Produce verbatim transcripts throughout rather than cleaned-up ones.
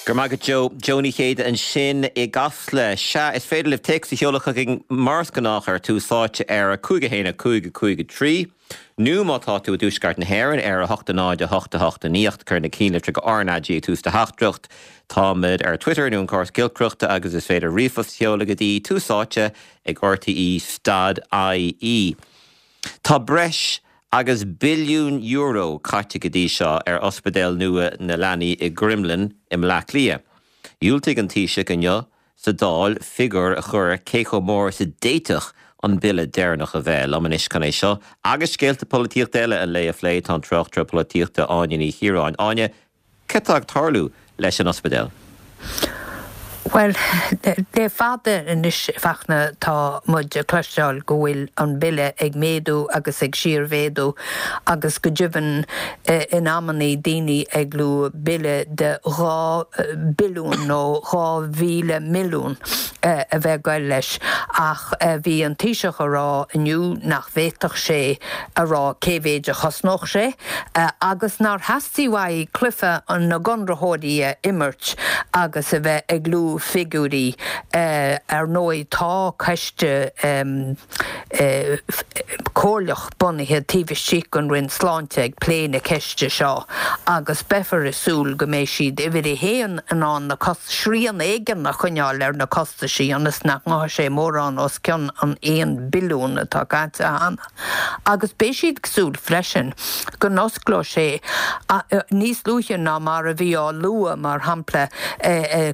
Go raibh maith agat Joe Joe Ní Chéide ansin i gCasla sea is féidir libh téacs a sheoladh chugainn mar is gnách ar Tús Áite ar a cúig a haon a cúig a cúig a trí. Nó má tá tú i dtuaisceart na hÉireann ar a hocht a náid a hocht a hocht a naoi cuir na cinnlitreacha RnaG ag tús do theachtaireacht. Táimid ar Twitter nó an córas giolcaireachta agus is féidir ríomhphost a sheoladh go dtí Tús Áite ag RTE dot IE. Tá breis agus billiún euro caite go dtí seo ar ospidéal nua na leanaí i gCromghlinn i mBleá Cliath. Dhiúltaigh an Taoiseach inniu sa Dáil figiúr a chur cé chomh mór is a d'fhéadfadh an bille deireanach a bheith. Liom anois chun é seo agus scéalta polaitíochta eile an lae a phlé tá an tráchtaire polaitíochta Áine Ní Chiaráin. Áine, cad tá ag tarlú leis an ospidéal? Well, le fada anois Fachtna tá muid ag cloisteáil go bhfuil an bille ag méadú agus ag síormhéadú agus go deimhin in amannaí daoine ag lua bille de dhá billiún nó dhá mhíle milliún a bheith ag goil leis ach bhí an Taoiseach a rá inniu nach bhféadfadh sé a rá cé mhéid a chosnódh sé agus nár theastaigh uaidh cluiche na gconraitheoirí a imirt agus a bheith ag lua figiúirí. Ar ndóigh tá coiste comhairleach bunaithe taobh istigh den Roinn Sláinte ag plé na ceiste seo agus beifear ag súil go mbeidh siad uimhir a haon in ann na srian éigin a choinneáil ar na costaisí ionas nach ngabhfaidh sé mórán os cionn an aon billiún atá caite cheana. Agus beidh siad ag súil freisin go n-osclóidh sé níos luaithe ná mar a bhí á lua, mar shampla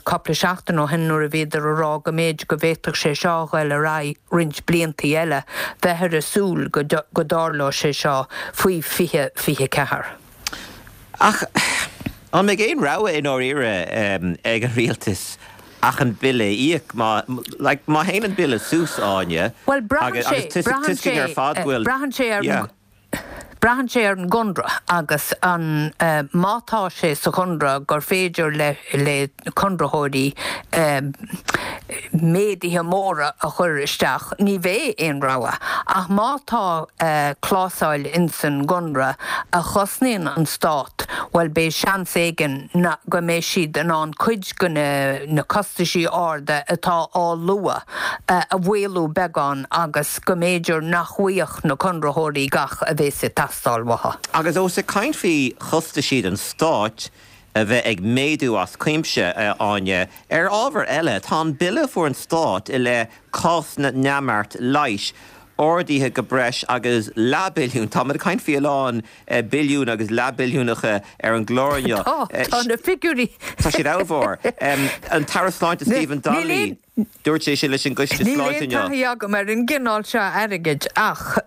cúpla seachtain ó shin nuair a bhíodar a rá go mb'fhéidir go bhféadfadh sé seo a ghoil ar aghaidh roinnt bliantaí eile, beifear ag súil go dtarlóidh sé seo faoi fiche fiche ceathair. Ach an mbeidh aon rogha i ndáiríre ag an rialtas ach an bille a íoc? Má, like, má théann an bille suas, Áine, Bhuel, braitheann sé, braitheann sé, ar fad go bhfuil, braitheann sé ar yeah. Braitheann sé ar an gconradh agus an má tá sé sa chonradh gur féidir le le conraitheoirí méaduithe móra a chur isteach, ní bheidh aon rogha. Ach má tá clásail insan gconradh a chosnaíonn an stát, bhuel beidh seans éigin go mbeidh siad in ann cuid de na costaisí arda atá á lua a mhaolú beagán agus go mb'fhéidir nach bhfaigheadh na conraitheoirí gach a bheas ag teastáil uathu. Agus ós ag caint faoi chostaisí don stát a bheith ag méadú as cuimse, a Áine, ar ábhar eile, tá an bille a fuair an stát i leith cás na neamart leighis ardaithe go breis agus leathbhilliún. Táimid ag caint faoi a lán billiún agus leathbhilliúnacha ar an gclár inniu. Tá, tá na figiúirí. Tá siad ollmhór. An tAire Sláinte Stephen Donnelly. Dúirt sé sin leis an gCoiste Níl Sláinte aon inniu. taithí agam ar an gcineál seo airgid ach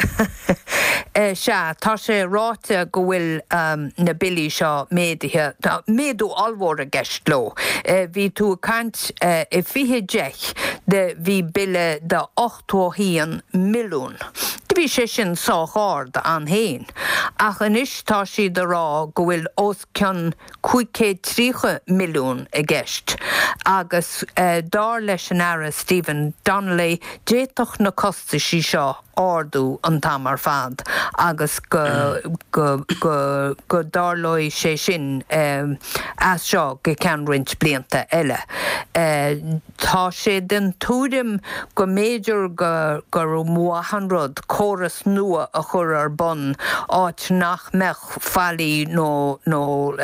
sea, tá sé ráite go bhfuil na billí seo méadaithe, tá méadú ollmhór i gceist leo. Bhí tú ag caint i fiche deich de bhí bille de ochtó a haon milliún. Do bhí sé sin sách ard ann féin ach anois tá siad a rá go bhfuil os cionn cúig chéad tríocha milliún i gceist agus dar leis an Aire Stephen Donnelly d'fhéadfadh na costaisí seo ardú an t-am ar fad agus go go go go dtarlóidh sé sin as seo go ceann roinnt blianta eile. Tá sé den tuairim go mb'fhéidir go gur mhaith an rud córas nua a chur ar bun áit nach mbeadh faillí nó nó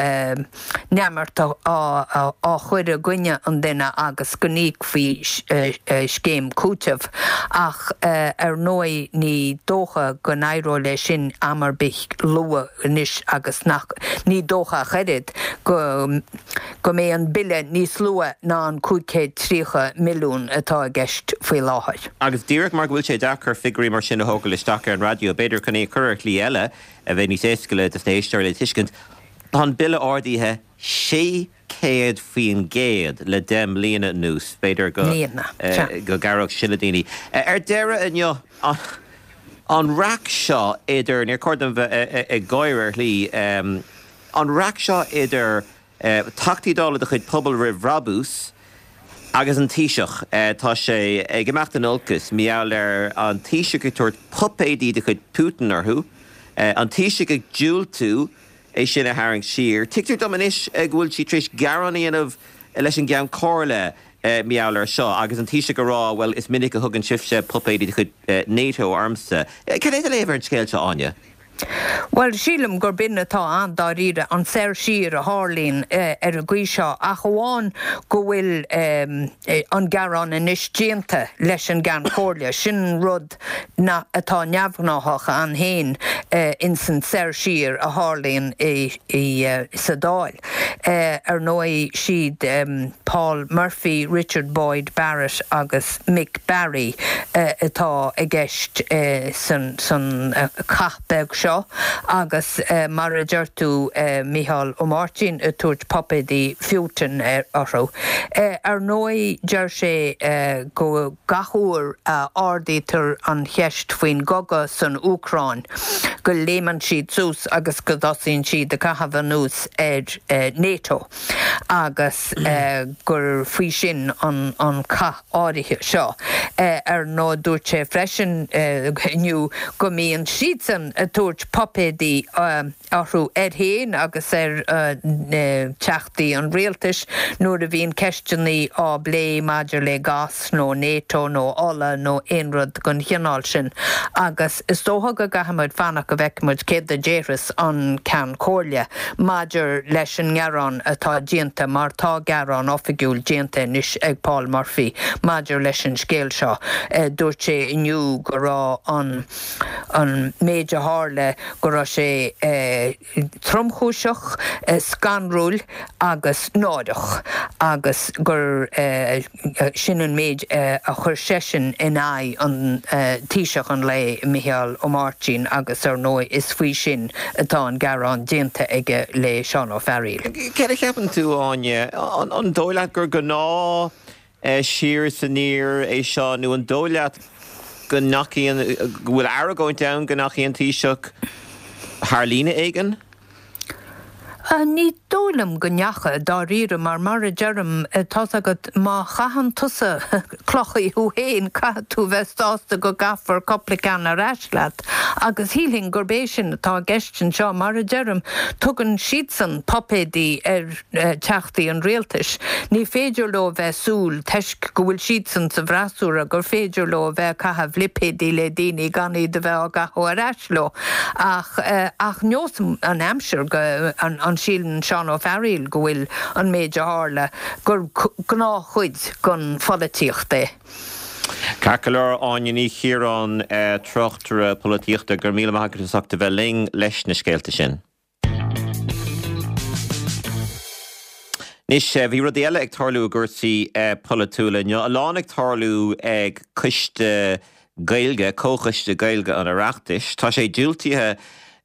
neamart á chur i gcoinne an duine agus go n-íocfaí scéim cúitimh ach ar ndóigh ní dócha go n-éireoidh leis sin am ar bith luath anois agus nach ní dócha ach oiread go go mbeidh an bille níos lú ná an cúig chéad tríocha milliún atá i gceist faoi láthair. Agus díreach mar go bhfuil sé deacair figiúirí mar sin a thógáil isteach ar an raidió, b'fhéidir chun é a chur ar shlí eile a bheidh níos éasca le dos na héisteoirí le tuiscint, tá an bille ardaithe sé chéad faoin gcéad le deich mbliana anuas. B'fhéidir go go gcabhródh sin le daoine. Ar deireadh inniu, an raic seo idir, níor chóir dom bheith ag gáire ar shlí, an raic seo idir Teachtaí Dála de chuid Pobal Roimh Bhrabús agus an Taoiseach. Tá sé ag imeacht in olcas mar gheall ar an Taoiseach ag tabhairt puipéidí de chuid Putin orthu, an Taoiseach ag diúltú é sin a tharraingt siar. Tuigtear dom anois go bhfuil siad tar éis gearán a dhéanamh leis an gCeann Comhairle mar gheall air seo agus an Taoiseach ag rá well is minic a thugann sibhse puipéidí de chuid NATO ormsa. Cad é do léamh ar an scéal seo Áine? Well sílim gur b'in atá ann dáiríre an soir siar a tharlaíonn ar an gcaoi seo ach amháin go bhfuil an gearán anois déanta leis an gCeann Comhairle. Sin rud na atá neamhghnáthach ann féin ins an soir siar a tharlaíonn sa Dáil. Ar ndóigh siad Paul Murphy, Richard Boyd Barrett agus Mick Barry atá i gceist san san cath beag seo agus mar a deir tú Micheál Ó Máirtín ag tabhairt puipéidí Putin orthu. Ar ndóigh deir sé go gach uair a ardaítear an cheist faoin gcogadh san Úcráin go léimeann siad suas agus go dtosaíonn siad ag caitheamh anuas ar NATO agus gur faoi sin an an cath áirithe seo. Ar ndóigh dúirt sé freisin inniu go mbíonn siadsan ag tabhairt puipéidí orthu air féin agus ar teachtaí an rialtais nuair a bhíonn ceisteanna á bplé maidir le gás nó NATO nó ola nó aon rud den chineál sin. Agus is dócha go gcaithfimid fanacht go bhfeicfimid céard a déarfas an Ceann Comhairle maidir leis an ngearán atá déanta mar tá gearán oifigiúil déanta anois ag Paul Murphy maidir leis an scéal seo. Dúirt sé inniu go raibh an an méid a tharla go raibh sé tromchúiseach, scanrúil agus náireach agus gur sin an méid a chuir seisean in aghaidh an Taoiseach an lae Micheál Ó Máirtín agus ar ndóigh is faoi sin atá an gearán déanta aige le Seán Ó Fearghaíl. Céard a cheapann tú Áine, an dóigh leat gur gnáth siar is aniar é seo nó an dóigh leat go ndeachaigh go bhfuil argóint ann go ndeachaigh an Taoiseach thar líne éigin? Ní dóigh liom go ndeachaigh dáiríre mar mar a deirim tá's agat má chaitheann tusa clocha thú féin caithfidh tú bheith sásta go gcaithfear cúpla ceann ar ais leat agus shílfinn gurb é sin atá i gceist anseo mar a deirim tugann siadsan puipéidí ar teachtaí an rialtais. Ní féidir leo bheith súil toisc go bhfuil siadsan sa bhfreasúra gur féidir leo bheith ag caitheamh lipéidí le daoine gan iad a bheith á gcaitheamh ar ais leo ach ach neos an aimsir go an an síleann Seán Ó Fearghaíl go bhfuil an méid a tharla gur gnáthchuid den pholaitíocht é. Ceart go leor Áine Ní Chiaráin tráchtaire polaitíochta go raibh míle maith agat as ucht a bheith linn leis na scéalta sin. Anois, bhí rudaí eile ag tarlú i gcúrsaí polaitiúla inniu. A lán ag tarlú ag Coiste Gaeilge, Comhchoiste Gaeilge an Oireachtais. Tá sé diúltaithe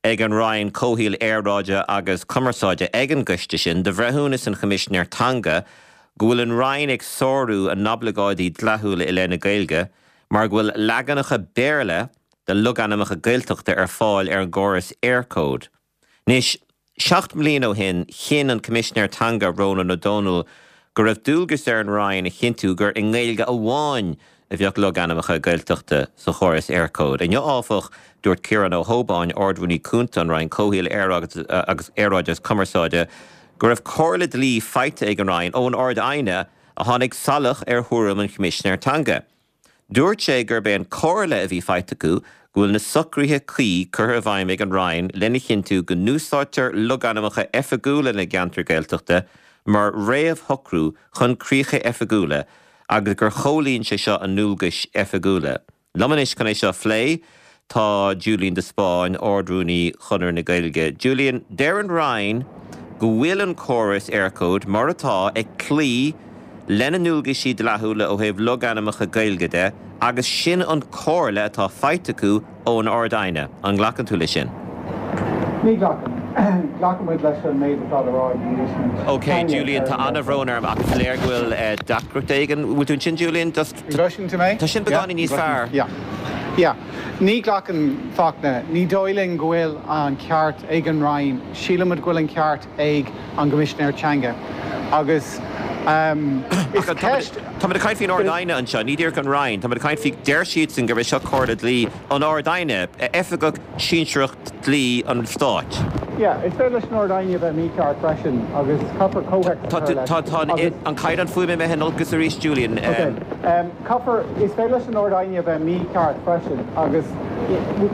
ag an Roinn Comhshaoil, Aeráide agus Cumarsáide ag an gcoiste sin do bhreithiúnas an Choimisinéir Teanga go bhfuil an Roinn ag sárú a n-oibleagáidí dleathúla i leith na Gaeilge mar go bhfuil leaganacha Béarla de logainmneacha Gaeltachta ar fáil ar an gcóras Eircode. Anois, seacht mbliana ó shin, chinn an Coimisinéir Teanga, Rónán Ó Domhnaill, go raibh dualgas ar an Roinn a chinntiú gur i nGaeilge amháin a bheadh logainmneacha Gaeltachta sa chóras Eircode. Inniu, áfach, dúirt Ciarán Ó hÓbáin, Ard-Rúnaí Cúnta an Roinn Comhshaoil, agus Aeráide agus Cumarsáide, go raibh comhairle dlí faighte ag an Roinn ón Ard-Aighne a tháinig salach ar thuairim an Choimisinéir Teanga. Dúirt sé gurb é an comhairle a bhí faighte acu go bhfuil na socruithe cuí curtha i bhfeidhm ag an Roinn lena chinntiú go n-úsáidtear logainmneacha oifigiúla na gceantar Gaeltachta mar réamhshocrú chun críocha oifigiúla agus gur chomhlíon sé seo a ndualgais oifigiúla. Liom anois chun é seo a phlé tá Julian de Spáinn, Ard-Rúnaí Chonradh na Gaeilge. Julian, deir an Roinn go bhfuil an córas Eircode mar atá ag cloí lena ndualgaisí dleathúla ó thaobh logainmneacha Gaeilge de agus sin an comhairle atá faighte acu ón Ard-Aighne. An nglacann tú leis sin? Ní ghlacaim. Glacann muid leis an méid atá le rá ag an gCoimisinéir Ok, Julian, tá an-bhrón orm ach is léir go bhfuil deacracht éigin. Bhfuil tú ansin, Julian? Just. An gcloiseann tú mé? Tá sin beagáinín níos fearr. Yeah. Yeah. Ní ghlacann Fachtna. Ní dóigh linn go bhfuil an ceart ag an Roinn. Sílimid go bhfuil an ceart ag an gCoimisinéir Teanga. Agus is ceist. Táimid ag caint faoin Ard-Aighne anseo, ní díreach an Roinn. Táimid ag caint faoi, deir siadsan gurb é seo comhairle dlí an Ard-Aighne, oifigeach sinsearach dlí an Stáit. Yeah, is féidir leis an Ard-Aighne a bheith mícheart freisin agus caithfear comhthéacs a chur leis. Tá an caighdeán fuaime imithe in olcas arís, Julian. Okay. Um, caithfear, is féidir leis an Ard-Aighne a bheith mícheart freisin agus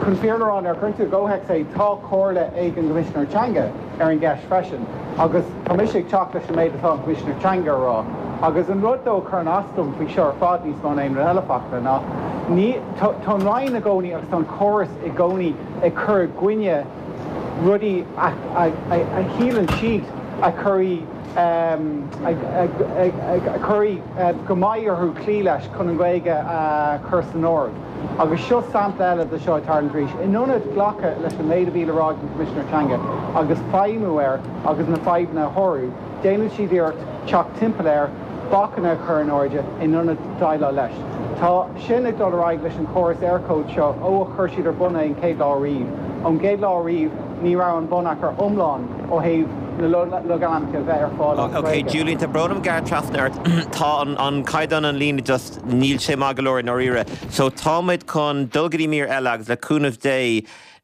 chun fírinne a rá nuair a chuireann tú i gcomhthéacs é, tá comhairle ag an gCoimisinéir Teanga ar an gceist freisin agus tá mise ag teacht leis an méid atá an Coimisinéir Teanga a rá. Agus an rud dó a chuireann as dom faoi seo ar fad níos mó ná aon rud eile Fachtna ná ní tá an Roinn i gcónaí agus tá an córas i gcónaí ag cur i gcoinne rudaí a shíleann siad a chuirfidh a chuirfidh go mbeidh orthu cloí leis chun an Ghaeilge a chur san áireamh. Agus seo sampla eile de seo tar arís. In ionad glacadh leis an méid a bhí le rá ag an Coimisinéir Teanga agus feidhmiú air agus na fadhbanna a shárú, déanann siad iarracht teacht timpeall air bacanna a chur in airde in ionad déileáil leis. Tá sin ag dul ar aghaidh leis an chóras Eircode seo ó a chuir siad ar bun é an chéad lá riamh. Ón gcéad lá riamh ní raibh an bonneagar iomlán ó thaobh na logainmneacha bheith ar fáil as Ok, Gaeilge. Julian, tá brón orm gearradh trasna ort. Tá an, an caighdeán an líne just níl sé maith go leor i ndáiríre. So táimid chun dul go dtí mír eile agus le cúnamh Dé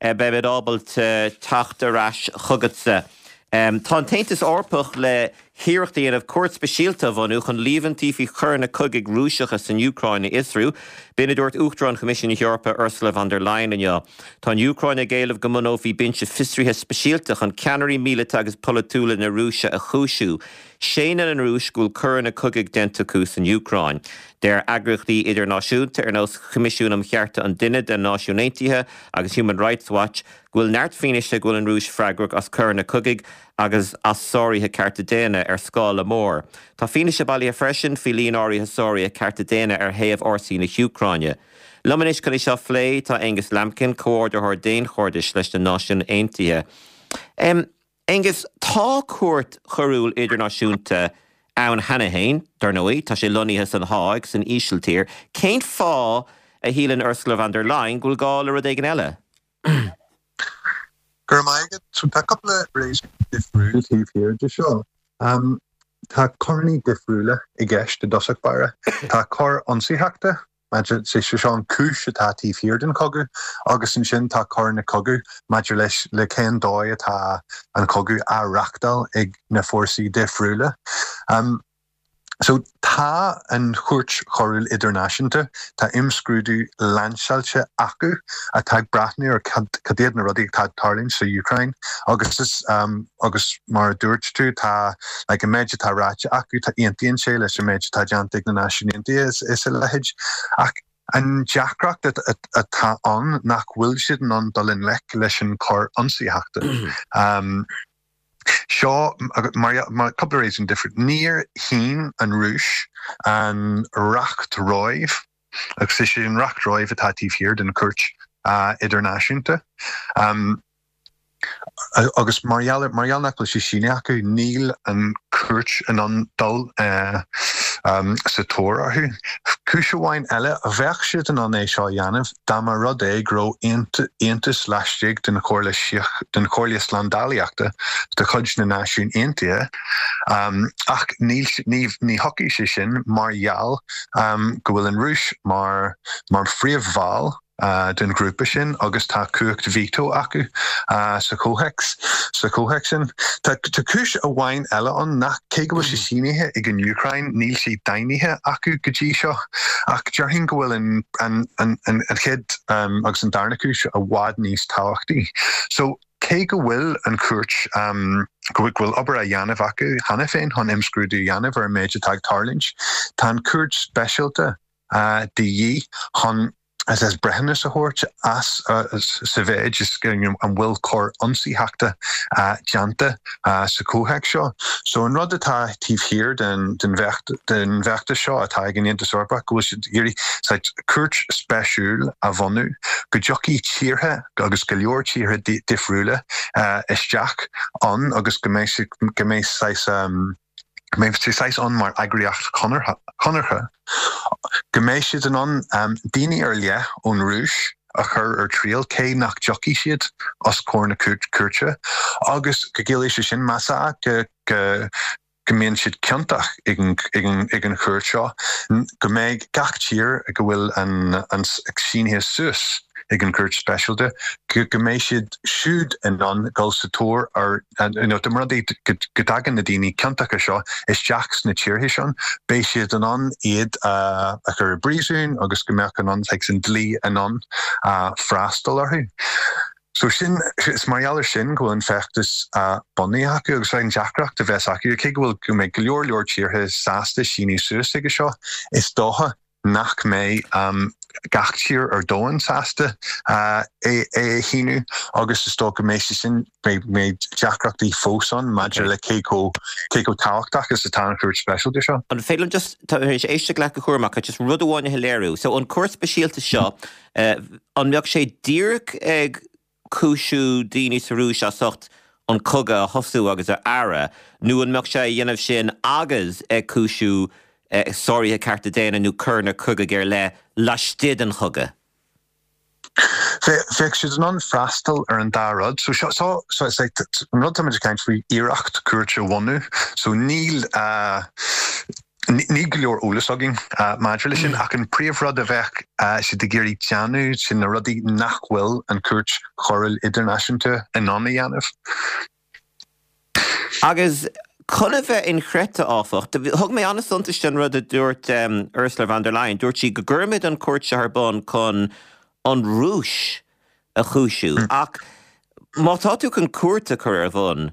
eh, beimid ábalta teacht ar ais chugatsa. Um, tá an tAontas Eorpach le hiarracht a dhéanamh cúirt speisialta a bhunú chun líomhaintí faoi choireanna cogaidh Rúiseacha san Úcráin a fhiosrú, B'in a dúirt Uachtarán Choimisiún na hEorpa Ursula von der Leyen inniu. Tá an Úcráin ag éileamh go mbunófaí binse fiosraithe speisialta chun ceannairí míleata agus polaitiúla na Rúise a chúisiú. Séanann an Rúis go bhfuil coireanna cogaidh déanta acu san Úcráin. Deir eagraíochtaí idirnáisiúnta ar nós Choimisiún um Chearta an Duine de Náisiúin Aontaithe agus Human Rights Watch go bhfuil neart fianaise go bhfuil an Rúis freagrach as coireanna cogaidh agus as sáruithe cearta daonna ar scála mór. Tá fianaise bailithe freisin faoi líon áirithe sáruithe cearta daonna ar thaobh fhórsaí na hÚcráine. Liom anois chun é seo a phlé tá Angus Lambkin, comhordaitheoir daonchairdis leis na Náisiúin Aontaithe. Um, Angus, tá cúirt choiriúil idirnáisiúnta ann cheana féin, dar ndóigh, tá sé lonnaithe san Háig san Ísiltír, Cén fáth a shíleann Ursula von der Leyen go bhfuil gá le rud éigin eile? Gur maigad so tá cúpla réasún difriúil taobh thiar de seo. Um, tá coireanna difriúla i gceist i dtosach báire. Tá coir ionsaíochta sé seo an cúis atá taobh thiar den chogadh agus ansin tá coireanna cogaidh maidir leis le cén dóigh atá an cogadh á reáchtáil ag na fórsaí difriúla. Um, So tá an chúirt choiriúil idirnáisiúnta tá imscrúdú lainseáilte acu atá ag breathnú ar cad iad na rudaí atá ag tarlú sa Úcráin agus is um, agus mar a dúirt tú tá like, an méid atá ráite acu tá aontaíonn sé leis an méid atá déanta ag na Náisiúin Aontaithe is, is a leithéid ach an deacracht atá ann nach bhfuil siad in ann dul i ngleic leis an choir ionsaíochta. Um, Seo mar mar cúpla réasún difriúil. Níor shín an Rúis an Reacht Róimh agus is é an Reacht Róimh atá taobh thiar den chúirt uh, idirnáisiúnta. Um, agus mar mar nach bhfuil sé sínithe acu níl an chúirt in ann dul uh, um, sa tóir orthu. Cúis amháin eile a bheadh siad in ann é seo a dhéanamh dá mba rud é go raibh aontas laistigh den Chomhairle den Chomhairle Slándálaíochta de chuid na Náisiún Aontaithe um, ach ní ní ní thiocfaidh sé sin mar gheall um, go bhfuil an Rúis mar mar phríomhbhall uh, den ghrúpa sin agus tá cumhacht veto acu uh, sa chomhthéacs sa chomhthéacs sin. Tá tá cúis amháin eile ann nach cé go bhfuil sé sínithe ag an Úcráin níl sé daingnithe acu go dtí seo ach déarfainn go bhfuil an, an, an, an, an chéad um, agus an darna cúis i bhfad níos tábhachtaí. So cé go bhfuil an chúirt um, go bhfuil obair á dhéanamh acu cheana féin chun imscrúdú a dhéanamh ar an méid atá ag tarlú, Tá an cúirt speisialta uh, de dhíth chun as as breithiúnas a thabhairt as uh, sa mhéid is an bhfuil coir ionsaíochta uh, déanta uh, sa chomhthéacs seo. So an rud atá taobh thiar den den den bheartas seo atá ag an Aontas Eorpach go bhfuil siad ag iarraidh cúirt speisiúil a bhunú go dtiocfaidh tíortha agus go leor tíortha difriúla uh, isteach ann agus go mbeidh go mbeidh saghas um, mbeidh sé saghas ann mar eagraíocht chonartha. Go mbeidh siad in ann um, daoine ar leith ón Rúis a chur ar triail cé nach dtiocfaidh siad os comhair na cúirte, agus go gciallaíonn sé sin más ea go go go mbíonn siad ciontach ag an chúirt seo, go mbeidh gach tír go bhfuil an, an sínithe suas ag an Chúirt Speisialta, go go mbeidh siad siúd in ann dul sa tóir ar you know, dá mba rud é go go dtagann na daoine ciontacha seo isteach sna tíortha sin, beidh siad in ann iad a chur i bpríosún agus go mbeadh an like, an dlí in ann freastal orthu. So sin is mar gheall air sin go bhfuil an feachtas bunaithe acu agus an deacracht a bheas acu cé go bhfuil go mbeidh go leor leor tíortha sásta síniú suas aige seo is dócha nach mbeidh um, gach tír ar domhan sásta uh, é é a shíniú agus is dócha go mbeidh sé sin mbeidh deacrachtaí fós ann maidir le cé chomh cé chomh tábhachtach is atá an chúirt speisialta seo. An féidir liom just tá éis éisteacht leat go cúramach just rud amháin a léiriú. So an cúirt speisialta seo uh, an mbeadh sé díreach ag cúisiú daoine sa Rúis as ucht an cogadh a thosú agus a fhearadh, nó an mbeadh sé á dhéanamh sin agus ag cúisiú eh, sáruithe cearta daonna nó coireanna cogaidh ar leith laistigh den chogadh. Bheadh siad in ann freastal ar an dá rud, so so so so it's like an rud táimid ag caint faoi iarracht cúirt a bhunú, so níl uh, Ní go leor eolas againn uh, maidir leis sin ach an príomhrud a bheadh uh, siad ag iarraidh déanamh sin na rudaí nach bhfuil an Cúirt Choiriúil Idirnáisiúnta in ann a dhéanamh. Agus chun a bheith inchreidte áfach, thug mé an-suntas an rud a dúirt um, Ursula von der Leyen, dúirt sí go gcuirfimid an cúirt seo ar bun chun an Rúis a chúisiú. Mm. Ach má tá tú chun cúirt a chur ar bun,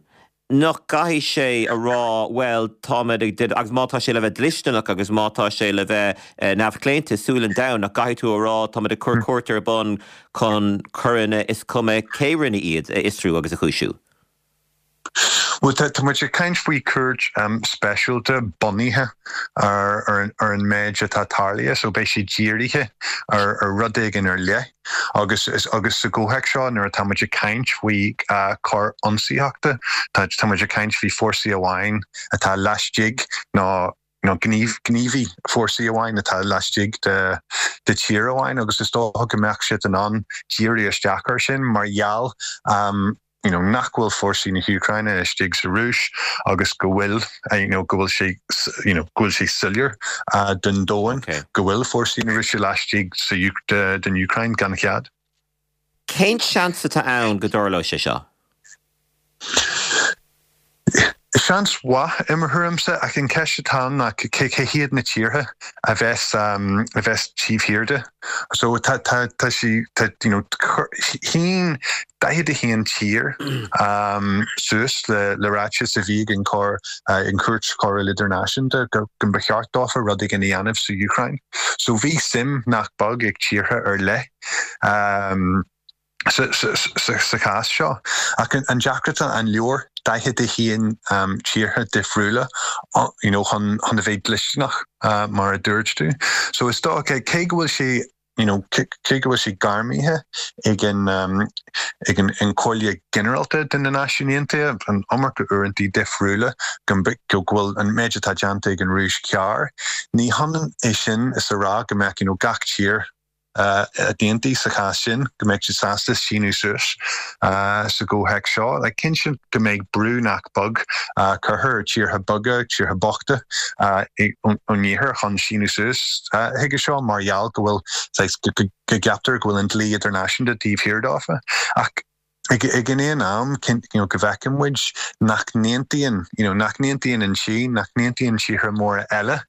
nach gcaithfidh sé a rá well táimid ag agus má tá sé le bheith dlisteanach agus má tá sé le bheith eh, neamhchlaonta súil an domhain nach gcaithfidh tú a rá táimid ag cur cúirt ar bun chun coireanna is cuma cé rinne iad a fhiosrú agus a chúisiú. Well tá muid ag caint faoi cúirt um, speisialta bunaithe ar, ar, ar an méid atá tarlaithe, so beidh sé dírithe ar, ar rud éigin ar leith. agus is, agus sa gcomhthéacs seo nuair atá muid ag caint faoi uh, coir ionsaíochta, tá tá muid ag caint faoi fórsaí amháin atá laistigh nó nó gníomh gníomhaí fórsaí amháin atá laistigh de de tír amháin agus is dócha go mbeadh siad in ann díriú isteach ar sin mar gheall um, you know, nach bhfuil fórsaí na hÚcráine istigh sa Rúis agus go bhfuil uh, you know, go bhfuil sé you know, go bhfuil sé soiléir uh, den domhan Okay. go bhfuil fórsaí na Rúise laistigh sa de, den Úcráin gan chead. Cén seans atá ann go dtarlóidh sé seo? Seans mhaith i mo thuairimse ach an cheist atá ná cé cé hiad na tíortha a bheas um, a bheas taobh thiar de. So tá tá tá sí tá you know, shínigh daichead a haon tír um, suas le le ráiteas a bhí an chor uh, an Chúirt Choiriúil Idirnáisiúnta go go ba cheart dófa rud éigin a dhéanamh sa Úcráin. So bhí suim nach beag ag tíortha ar leith. Um, sa, sa, sa, sa chás seo ach an, an deacracht an leor daichead a haon um, tíortha difriúla uh, you know, chun chun a bheith dlisteanach uh, mar a dúirt tú. So is dócha cé go bhfuil sé you know, cé go bhfuil sé gairmithe ag an um, ag an an Chomhairle Ghinearálta de na Náisiúin Aontaithe an iomarca uaireanta difriúla go go bhfuil an méid atá déanta ag an Rúis ceart. Ní hionann é sin is a rá go mbeadh you know, gach tír uh, d'aontaigh sa chás sin go mbeidh siad sásta síniú suas uh, sa gcomhthéacs seo, le cinnte go mbeidh brú nach beag uh, curtha ar tíortha beaga tíortha bochta uh, ón iarthar chun síniú suas uh, chuige seo mar gheall go bhfuil go, go, go gceaptar go bhfuil an dlí idirnáisiúnta taobh thiar dófa. Ach ag ag an aon am you know, go bhfeiceann muid nach n-aontaíonn you know, nach n-aontaíonn an Sín, nach n-aontaíonn tíortha móra eile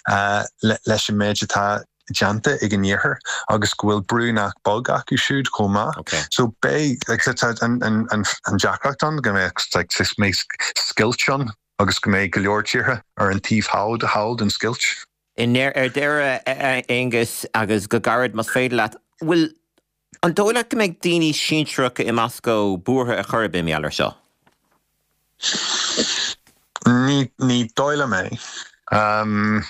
uh, le, leis an méid atá déanta ag an iarthar agus go bhfuil brú nach beag acu siúd chomh maith. Okay. So beidh like, an, an, an, an deacracht ann go mbeidh like, mbeidh scoilt ann agus go mbeidh go leor tíortha ar an taobh thall thall den scoilt. In ar deireadh Aonghus agus go gairid más féidir leat, bhfuil an dóigh leat go mbeidh daoine sinsearacha i Moscó buartha ar chor ar bith mar seo? Ní ní dóigh liom é. Um,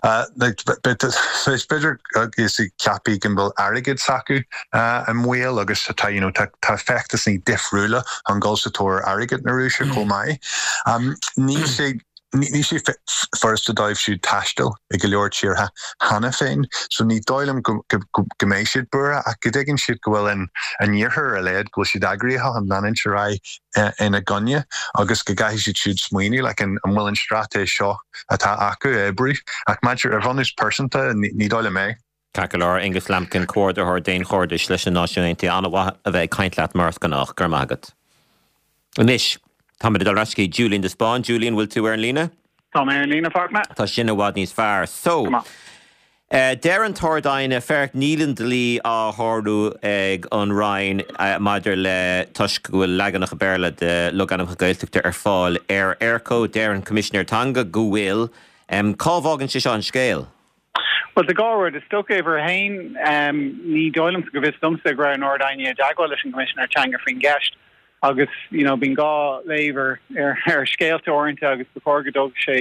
uh, like, is b'fhéidir is ceapaí go bhfuil airgead s'acu uh, an mhaol agus tá you know, tá, tá feachtasaí difriúla an dul sa tóir airgead na Rúise chomh maith. Um, ní sé ní sé furasta dóibh siúd taisteal i go leor tíortha cheana féin, so ní dóigh liom go mbeidh siad buartha ach go dtuigeann siad go bhfuil an an iarthar a leithéid go bhfuil siad eagraithe an leanúint ar aghaidh ina gcoinne agus go gcaithfidh siad siúd smaoineamh le an an bhfuil an straitéis seo atá acu oibriú ach maidir ar bhunús pearsanta ní dóigh liom é. Ceart go leor, Aonghus Lambkin, Comhordaitheoir Daonchairdis leis na Náisiúin Aontaithe, an-mhaith a bheith ag caint leat mar is gnách, go raibh maith agat. Anois, táimid ag dul ar ais go dtí Julian de Spáinn. Julian, bhfuil tú ar an líne? Tá mé ar an líne, Fachtna. Tá sin i bhfad níos fearr. So, deir an tArd-Aighne, féach, níl an dlí á shárú ag an Roinn maidir le toisc go bhfuil leaganacha Béarla de logainmneacha Gaeltachta ar fáil ar Eircode. Deir an Coimisinéir Teanga go bhfuil. Cá bhfágann sé seo an scéal? Well, tá dhá rud, is dócha uimhir a haon, ní dóigh liomsa go bhfios domsa go raibh an Ard-Aighne i dteagmháil leis an gCoimisinéir Teanga faoin gceist agus you know bíonn dhá léamh ar ar scéalta uaireanta agus ba chóir go dtógfadh sé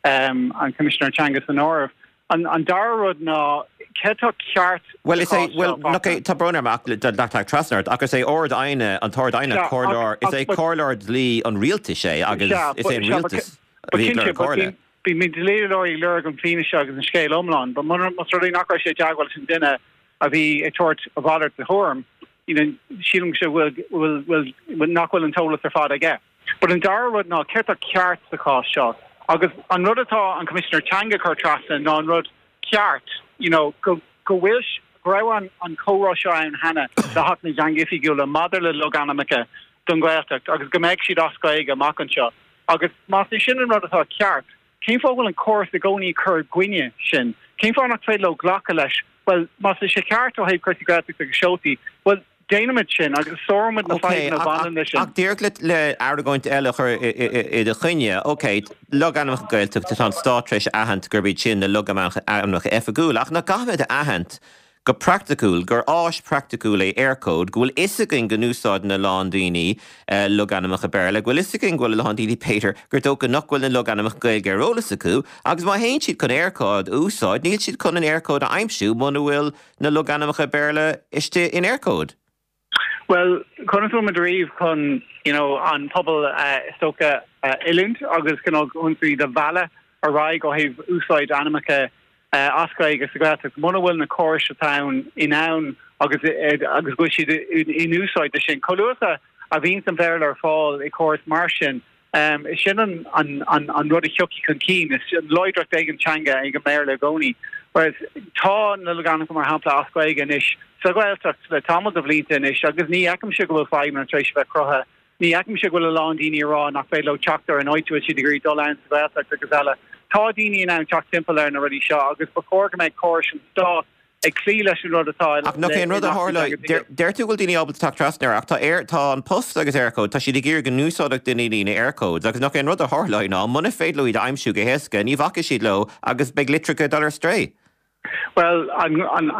an Coimisinéir Teanga san áireamh. An an dara rud ná cé atá ceart Well, is é, well, look, tá brón orm ach teacht trasna ort, ach is é Ard-Aighne, an tArd-Aighne, comhairleoir, is é comhairleoir dlí an rialtais é agus is é an rialtas a bhí ag lorg comhairle. Bíonn dlíodóirí ag lorg an fianaise agus an scéal iomlán, but mura más rud é nach raibh sé i dteagmháil leis an duine a bhí ag tabhairt a mhalairt de thuairim, you know, sílim go bhfuil bhfuil bhfuil nach bhfuil an t-eolas ar fad aige. But an dara rud ná céard atá ceart sa chás seo? Agus an rud atá an Coimisinéir Teanga ag cur trasna ná an rud ceart, you know, go go bhfuil go raibh an an comhrá seo ann cheana le hAcht na dTeangacha Oifigiúla maidir le logainmneacha don Ghaeltacht agus go mbeidh siad as Gaeilge amach anseo. Agus más é sin an rud atá ceart, cén fáth go bhfuil an córas i gcónaí ag cur i gcoinne sin? Cén fáth nach féidir leo glacadh leis? Bhuel, más é sé ceart ó thaobh cúrsaí Gaeltachta agus seoltaí, bhuel, déanaimid sin agus sáróimid na fadhbanna a bhaineann leis sin. Ach díreach le le argóint eile a chur i do choinne, ok, logainmneacha Gaeltachta, tá an stát tar éis a aithint gurb iad sin na logainmneacha oifigiúla, ach nach gcaithfimid a aithint go praiticiúil, gur áis praiticiúil é Eircode, go bhfuil fhios againn go n-úsáideann a lán daoine logainmneacha Béarla, go bhfuil fhios againn go bhfuil a lán daoine, b'fhéidir, gur dócha nach bhfuil na logainmneacha Gaeilge ar eolas acu, agus má théann siad chun Eircode a úsáid, níl siad chun an Eircode a aimsiú muna bhfuil na logainmneacha Béarla istigh in Eircode. Bhuel, conas a bhfuil muid ariamh chun you know an pobal is dócha a oiliúint agus cineál chun iad a mhealladh ar aghaidh ó thaobh úsáid ainmneacha as Gaeilge sa Ghaeltacht, muna bhfuil na córais atá ann in ann agus agus go bhfuil siad in úsáid de sin. Chomh luath a bhíonn an Béarla ar fáil i gcóras mar sin, is sin an an an an rud a thiocfaidh chun cinn, is láidreacht ag an teanga ag an mBéarla i gcónaí. Whereas tá na logainmneacha mar shampla as Gaeilge anois sa Ghaeltacht le tamall de bhlianta anois agus ní fheicimse go bhfuil fadhbanna tar éis a bheith cruthaithe. Ní fheicimse go bhfuil a lán daoine ag rá nach féidir leo teacht ar an áit a bhfuil siad ag iarraidh dul ann sa Ghaeltacht agus eile. Tá daoine in ann teacht timpeall ar na rudaí seo agus ba chóir go mbeadh córais an Stáit ag cloí leis an rud atá Ach nach é an rud a tharla, deir tú go bhfuil daoine ábalta teacht trasna air ach tá Air, tá An Post agus Eircode, tá siad ag iarraidh go n-úsáidfeadh daoine na Eircodes agus nach é an rud a tharlóidh ná muna féidir leo iad a aimsiú go héasca, ní bhacfaidh siad leo agus beidh litreacha ag dul ar strae. Bhuel, an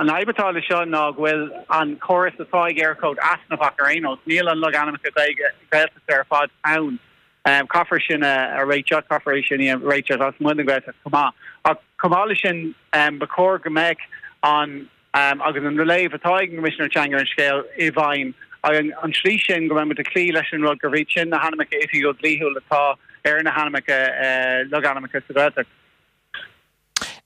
fhadhb atá leis seo ná go bhfuil an córas atá ag Eircode easnamhach ar aon nós. Níl an logainmneacha Gaeilge Gaeltachta ar fad ann. Caithfear sin a réiteach, caithfear é sin a réiteach lasmuigh den Ghaeltacht chomh maith. Ach chomh maith leis sin, ba chóir go mbeadh an agus an léamh atá ag an gCoimisinéir Teanga ar an scéal i bhfeidhm an tslí sin go mbeidh muid ag cloí leis an rud gurb iad sin na hainmneacha oifigiúil dlíthiúil atá ar na hainmneacha logainmneacha sa Ghaeltacht.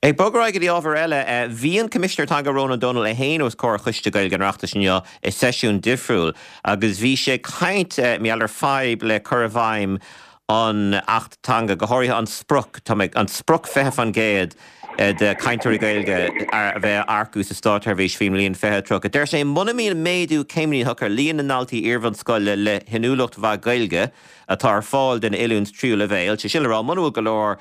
Ag bogadh ar aghaidh go dtí ábhar eile, bhí an Coimisinéir Teanga Rónán Ó Domhnaill é féin os comhair Choiste Gaeilge an Oireachtais inniu i seisiún difriúil agus bhí sé ag caint mar gheall ar fadhb le cur i bhfeidhm an Acht Teanga, go háirithe an sprioc, tá mé, an sprioc fiche faoin gcéad de chainteoirí Gaeilge a bheith á earcú sa státseirbhís faoin mbliain fiche tríocha. Deir sé muna mbíonn méadú céimnitheach ar líon na ndaltaí iarbhunscoile le hinniúlacht mhaith Gaeilge atá ar fáil don oiliúint tríú leibhéal, sé sin le rá muna bhfuil go leor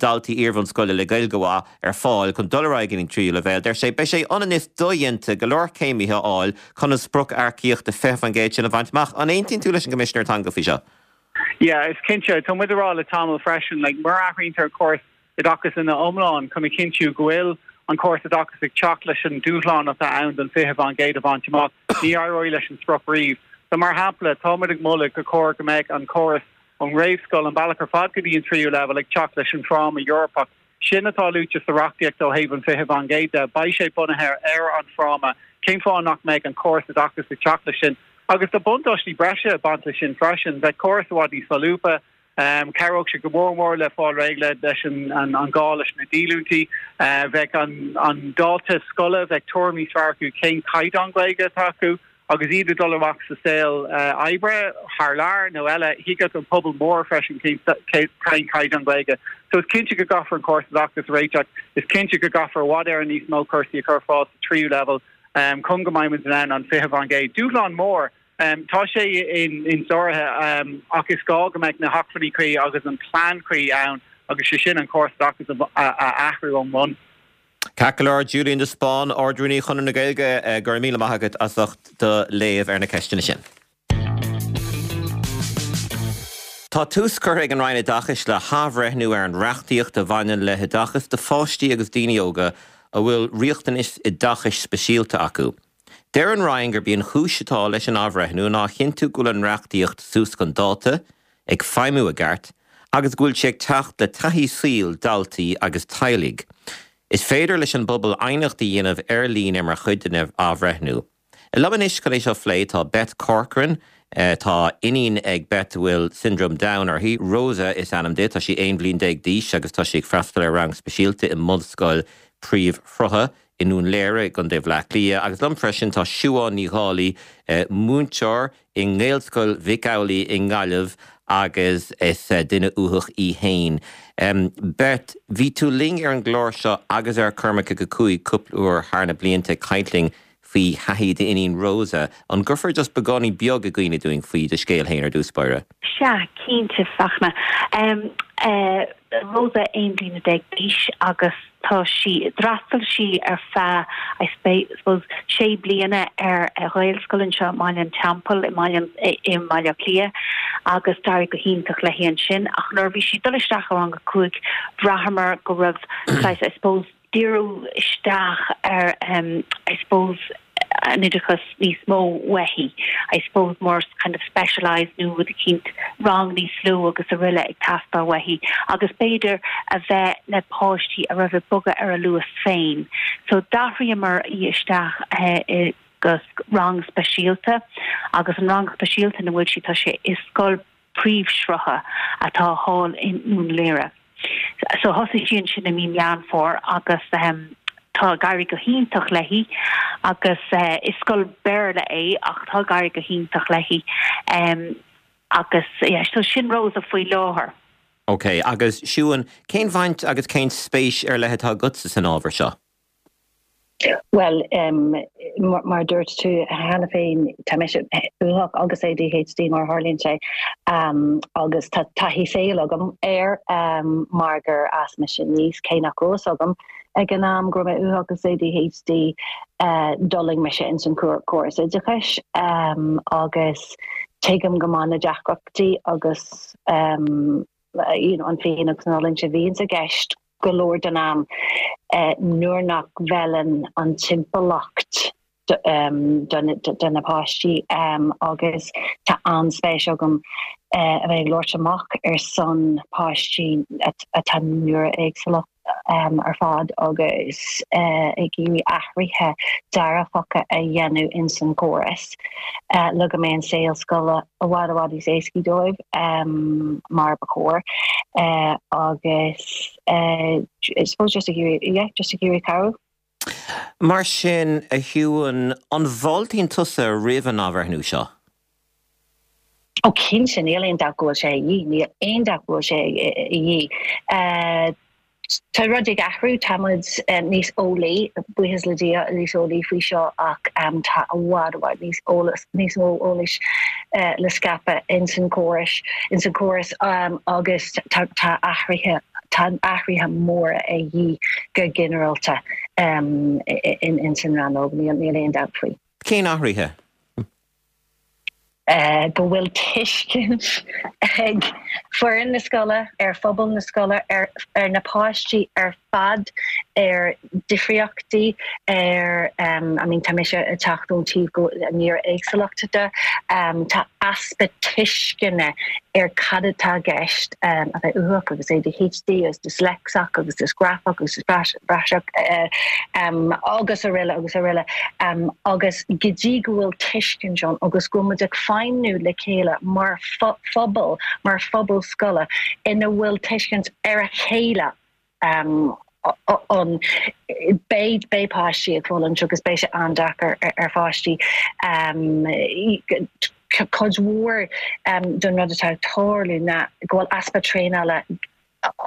daltaí iarbhunscoile le Gaeilge mhaith ar fáil chun dul ar aghaidh go dtí an tríú leibhéal, deir sé, beidh sé ionann is dodhéanta go leor céimithe a fháil chun an sprioc earcaíochta fiche faoin gcéad sin a bhaint amach. An aontaíonn tú leis an gCoimisinéir Teanga faoi seo? Yeah, is cinnte. Tá muid ag rá le tamall freisin, like, mura athraítear an córas oideachais ina iomlán chun a chinntiú go bhfuil an córas oideachais ag teacht leis an dúshlán atá ann don fiche faoin gcéad a bhaint amach, ní éireoidh leis an sprioc riamh. So mar shampla, tá muid ag moladh gur chóir go mbeadh an córas ón réamhscoil an bealach ar fad go dtí an tríú leibhéal ag teacht leis an fráma Eorpach. Sin atá luaite sa reachtaíocht ó thaobh an fiche faoin gcéad de. Beidh sé bunaithe ar an fráma. Cén fáth nach mbeadh an córas oideachais ag teacht leis sin? Agus tá buntáistí breise ag baint leis sin freisin. Bheadh córas i bhfad níos solúbtha. Cabhródh sé go mór mór le fáil réidh le leis an an gá leis na díolúintí. Bheadh an an dalta scoile, bheadh tuairim níos fearr acu cén caighdeán Gaeilge atá acu Agus iad ag dul amach sa saol oibre thar lear nó eile, thuigfeadh an pobal mór freisin cén caighdeán Gaeilge. So is cinnte go gcaithfear an córas oideachais a réiteach, is cinnte go gcaithfear i bhfad Éireann níos mó cúrsaí a chur ar fáil sa tríú leibhéal um, chun go mbeidh muid in ann an fiche faoin gcéad. Dúshlán mór um, tá sé in insáraithe um, ach is gá go mbeidh na hacmhainní cuí agus an plean cuí ann agus sé sin an córas oideachais a athrú ón mbun. Ceart go leor Julian de Spáinn, Ard-Rúnaí Chonradh na Gaeilge eh, go raibh míle maith agat as ucht do léamh ar na ceisteanna sin. Tá tús curtha ag an Roinn Oideachais le hathbhreithniú ar an reachtaíocht a bhaineann le hoideachas do pháistí agus daoine óga a bhfuil riachtanais oideachais speisialta acu. Deir an Roinn gurb í an chúis atá leis an athbhreithniú ná a chinntiú go bhfuil an reachtaíocht suas chun dáta, ag feidhmiú i gceart, agus go bhfuil sé ag teacht le taithí saoil daltaí agus teaghlaigh. Is féidir leis an bpobal aighneacht a dhéanamh ar líne mar chuid den athbhreithniú. Liom anois chun é seo a phlé tá Beth Corcoran, tá iníon ag Beth a bhfuil Syndrome Down uirthi, Rosa is ainm di, tá sí aon bhliain déag d'aois agus tá sí ag freastal ar rang speisialta i mBunscoil Príomhshrutha i nDún Laoghaire i gContae Bhaile Átha Cliath agus liom freisin tá Siubhán Ní Dhálaigh, múinteoir i nGaelscoil Mhic Amhlaigh i nGaillimh agus is duine uathach í féin. Beth, bhí tú linn ar an gclár seo agus ar Cormac ag a cúig cúpla uair thar na blianta ag caint linn faoi thaithí d'iníon Rosa. An gcuirfeá just beagáinín beag i gcuimhne dúinn faoi do scéal féin ar dtús báire? Sea, cinnte, Fachtna. Rosa aon bliana déag d'aois agus tá sí, d'fhreastail sí ar feadh, I suppose, sé bliana ar Ghaelscoil anseo i mBaile an Teampaill i mBaile i mBaile Átha Cliath agus d'éirigh go hiontach léi ansin ach nuair a bhí sí ag dul isteach i rang a cúig bhraitheamar go raibh saghas, I suppose, díriú isteach ar I suppose an oideachas níos mó uaithi I suppose more kind of specialised nó rud eicínt rang níos lú agus araile ag teastáil uaithi agus b'fhéidir a bheith le páistí a raibh ag bogadh ar a luas féin. So d'athraíomar í isteach i go rang speisialta agus an rang speisialta ina bhfuil sí tá sé i scoil príomhshrutha atá thall i nDún Laoghaire. So thosaigh sí ansin i mí Meán Fómhair agus ehm tá ag éirí go hiontach léi agus eh is scoil Béarla é ach tá ag éirí go hiontach léi ehm agus yeah so sin Rosa faoi láthair. Ok, agus Siún, cén bhaint agus cén spéis ar leith atá agatsa san ábhar seo? Bhuel, mar a dúirt tú cheana féin, tá mise uathach agus ADHD mar a tharlaíonn sé agus tá taithí saoil agam air mar gur fhás mise aníos, cé nach raibh fhios agam ag an am go raibh mé uathach agus ADHD, d'fhulaing mise ins an córas oideachais agus tuigim go maith na deacrachtaí agus you know an phian agus an fhulaingt a bhíonns i gceist. go leor den am nuair nach bhfeileann an timpeallacht do na páistí agus tá an-spéis agam a bheith ag labhairt amach ar son páistí atá néara-éagsúlach ar fad agus ag iarraidh athruithe dearfacha a dhéanamh ins an gcóras le go mbeidh an saol scoile i bhfad i bhfad níos éascaí dóibh mar ba chóir agus I suppose just ag iarraidh yeah just ag iarraidh cabhrú. Mar sin, a Shiúin, an bhfáiltíonn tusa roimh an athbhreithniú seo? Ó cinnte, níl aon dabht go bhfuil sé a dhíth, níl aon dabht go bhfuil sé a dhíth. Tá rudaí ag athrú, tá muid níos eolaí, buíochas le Dia, níos eolaí faoi seo ach tá i bhfad, i bhfad níos eolas, níos mó eolais le scaipeadh ins an córas, ins an córas agus tá tá athruithe, tá athruithe móra a dhíth go ginearálta ins an rannóg, níl níl aon dabht faoi. Cén athruithe? go bhfuil tuiscint ag foireann na scoile ar phobal na scoile, ar na páistí ar fad, ar difríochtaí, ar, I mean tá mise ag teacht ón taobh go néara-éagsúlacht de, tá easpa tuisceana ar cad atá i gceist a bheith uathach agus ADHD agus dyslexic agus dysgraphic agus dyspraxic agus araile agus araile agus go dtí go bhfuil tuiscint ann agus go bhfuil muid ag feidhmniú le chéile mar phobal, mar phobal scoile ina bhfuil tuiscint ar a chéile ann. Beidh beidh páistí ag fulaingt agus beidh sé an-deacair ar pháistí. Cuid mhór den rud atá ag tarlú ná go bhfuil easpa traenála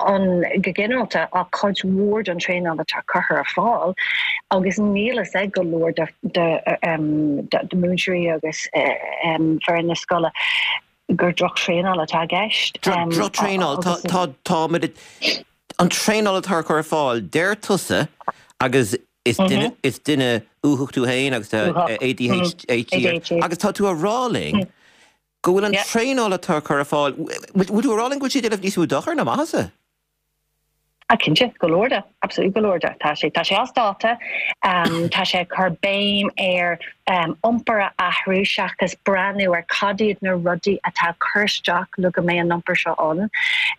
ann go ginearálta ach cuid mhór den traenáil atá curtha ar fáil agus níl fhios ag go leor de de múinteoirí agus foireann na scoile gur drochthraenáil atá i gceist. Drochthraenáil, tá tá an traenáil atá curtha ar fáil, deir tusa agus is duine is duine uathach tú féin agus A D H D agus tá tú a rá linn go bhfuil an traenáil atá curtha ar fáil, bhfuil tú a rá linn go bhfuil sé déanamh níos mó dochar ná maitheasa? Ah cinnte, go leor de, absolutely go leor de. Tá sé tá sé as dáta, um, tá sé cur béim ar um, iompar a athrú seachas breathnú ar cad iad na rudaí atá cur isteach le go mbeidh an iompar seo ann.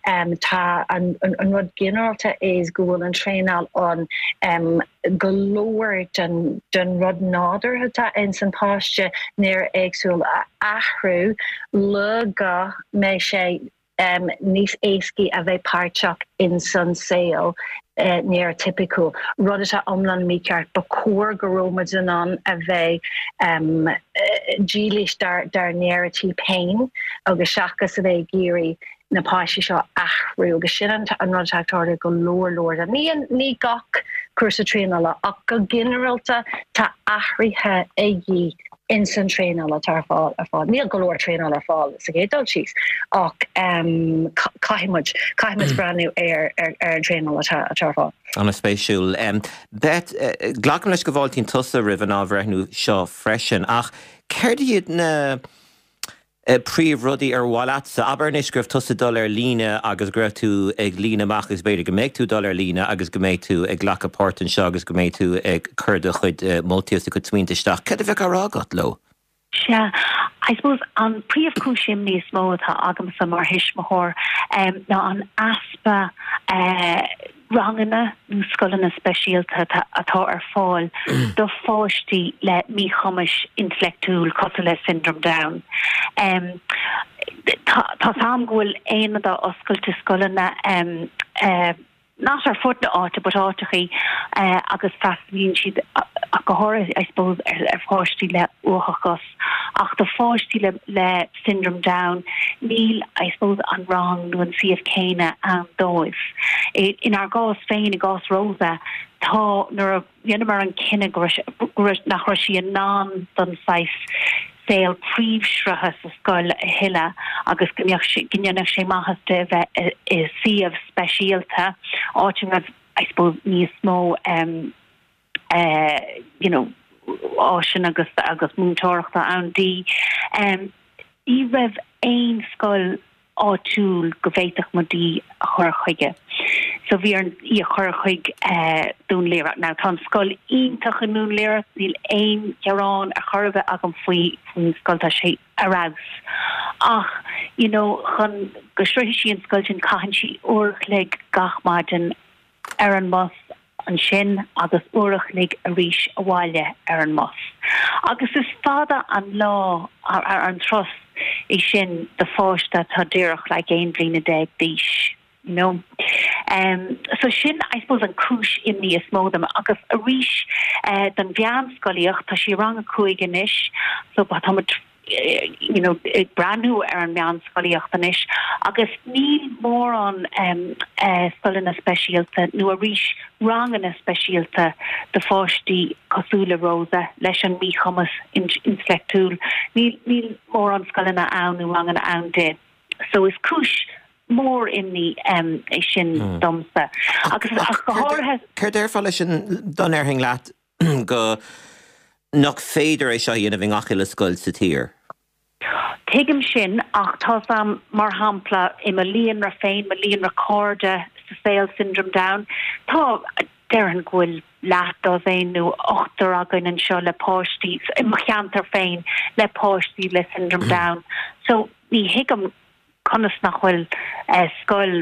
Um, tá an, an, an rud ginearálta is go bhfuil an traenáil ann um, go leor den, den rud nádúrtha atá in san páiste néara-éagsúil a athrú le go mbeidh sé um, níos éascaí a bheith páirteach in san saol uh, néaratipiciúil. Rud atá iomlán mícheart ba chóir go raibh muid in ann a bheith um, dílis dár dár néiritíp féin agus seachas a bheith ag iarraidh na páistí seo athrú agus sin an an rud atá go leor leor. Ní ní gach cúrsa traenála ach go ginearálta tá athruithe ag in san traenáil atá ar fáil ar fáil. Níl go leor traenáil ar fáil sa gcéad dul síos ach um, caithfimid caithfimid breathnú ar ar ar an traenáil atá atá ar fáil. An-spéisiúil. Um, Bet uh, glacaim leis go bhfáiltíonn tusa roimh an athbhreithniú seo freisin ach céard iad na uh, príomhrudaí ar mhaith leatsa abair anois go raibh tusa dul ar líne agus go raibh tú ag líonadh amach agus b'fhéidir go mbeidh tú dul ar líne agus go mbeidh tú ag glacadh páirt anseo agus go mbeidh tú ag cur do chuid uh, moltaí do chuid smaointe isteach. Cad a bheadh á rá agat leo? Sea, I suppose an príomhchúis imní is mó atá agamsa mar thuismitheoir um, ná an easpa uh, ranganna nó scoileanna speisialta atá ar fáil do pháistí le míchumais intleachtúil cosúil le Syndrome Down. Um, tá sam go bhfuil aonad oscailte scoileanna um, uh, not ar fud na háite but áiteachaí uh, agus freastalaíonn siad go háirithe I suppose ar, ar pháistí le uathachas ach do pháistí le, le Syndrome Down níl I suppose an rang nó an suíomh céanna ann dóibh. I, inár gcás féin i gcás Rosa tá nuair a rinneamar an cinneadh nach raibh sí in ann don saghas saol príomhshrutha sa scoil a thuilleadh agus go ndéanfadh sé maitheas di bheith i suíomh speisialta áit a raibh I suppose níos mó um, uh, you know áiseanna agus agus múinteoireachta ann di. Um, ní raibh aon scoil áitiúil go bhféadfadh muid í a chur chuige. So bhí orainn í a chur chuig uh, Dún Laoghaire. Now tá an scoil iontach i nDún Laoghaire níl aon ghearán a chur agam faoi faoin scoil tá sé ar fheabhas. Ach you know chun go sroichfidh sí an scoil sin caitheann sí uair a chloig gach maidin ar an mbus ansin agus uair a chloig arís abhaile ar an mbus. Agus is fada an lá ar, ar an turas é sin do pháiste atá díreach le aon bhliain déag d'aois. You know? Um, so sin I suppose an cúis imní is mó dom agus arís uh, don mheánscolaíocht tá sí rang a cúig anois so tá you know ag breathnú ar an meánscolaíocht anois agus níl mórán um, uh, scoileanna speisialta nó arís ranganna speisialta do pháistí cosúil le Rosa leis an míchumas intleachtúil níl níl mórán scoileanna ann nó ranganna ann di. So is cúis mór imní um, é sin mm. domsa agus ach go háirithe Céard déarfá leis an dá ndéarfainn leat go nach féidir é seo a dhéanamh i ngach uile scoil sa tír. Tuigim sin ach tá am mar shampla i mo líonra féin mo líonra cairde sa saol Syndrome Down Tá déarfainn go bhfuil leathdosaen nó ochtar againn anseo le páistí i mo cheantar féin le páistí le Syndrome Down. So ní thuigim conas nach bhfuil uh, scoil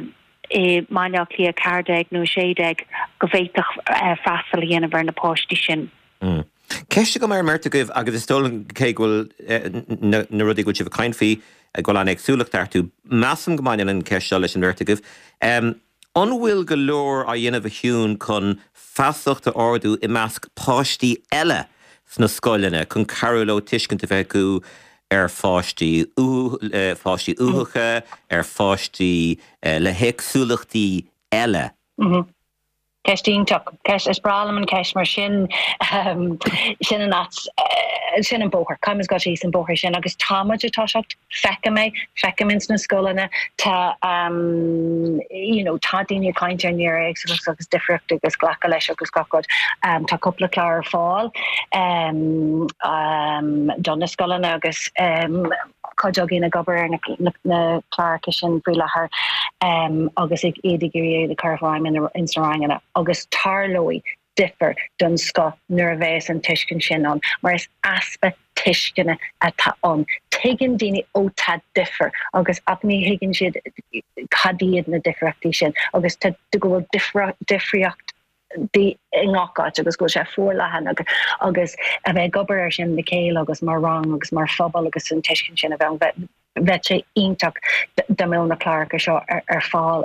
i mBaile Átha Cliath ceathair déag nó sé déag go bhféadfadh uh, freastal a dhéanamh ar na páistí sin. Mm. Ceist agam ar an mbeirt agaibh agus is dóigh cé go bhfuil eh, na rudaí go bhfuil sibh ag caint faoi go bhfuil an éagsúlacht iontu. Measaim go mbaineann an ceist seo leis an mbeirt agaibh. Um, An bhfuil go leor á dhéanamh a Shiún chun feasacht a ardú i measc páistí eile sna scoileanna chun cabhrú leo tuiscint a bheith acu ar pháistí pháistí uathacha, ar pháistí le héagsúlachtaí eile? Ceist iontach. Ceist, is breá liom an ceist mar sin sin an áit, sin an bóthar, caithfimid dul síos an bóthar sin agus tá muid ag toiseacht, feicim é, feicim ins na scoileanna, tá you know tá daoine ag caint ar néaréagsúlacht agus difríocht agus glacadh leis agus gach rud. Tá cúpla clár ar fáil do na scoileanna agus cuid againn ag obair ar na cláracha sin faoi láthair agus ag iad ag iarraidh iad a chur i bhfeidhm ins na ranganna agus tarlóidh difear den scoth nuair a bheas an tuiscint sin ann mar is easpa tuisceana atá ann. Tuigeann daoine ó tá difear agus ach ní thuigeann siad cad iad na difríochtaí sin agus tá go bhfuil difríocht i ngach áit agus go bhfuil sé forleathan agus a bheith ag obair air sin le chéile agus mar rang agus mar phobal agus an tuiscint sin a bheith ann, bheadh sé iontach dá mbeadh na cláracha seo ar fáil,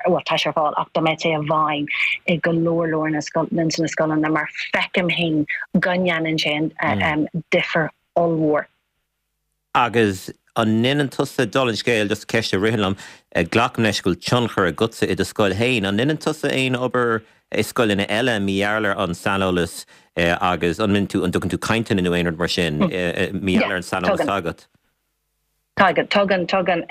bhuel tá sé ar fáil ach dá mbeadh sé i bhfeidhm i go leor leor na scoileanna mar feicim féin go ndéanann sé difear ollmhór. Agus an ndéanann tusa, dála an scéil, just ceist a ritheann liom, glacaim leis go bhfuil tionchar agatsa i do scoil féin, an ndéanann tusa aon obair i scoileanna eile mar gheall ar an saineolas agus an mbíonn tú, an dtugann tú cainteanna nó aon rud mar sin mar gheall ar an saineolas atá agat? Tugann, tugann, tugann.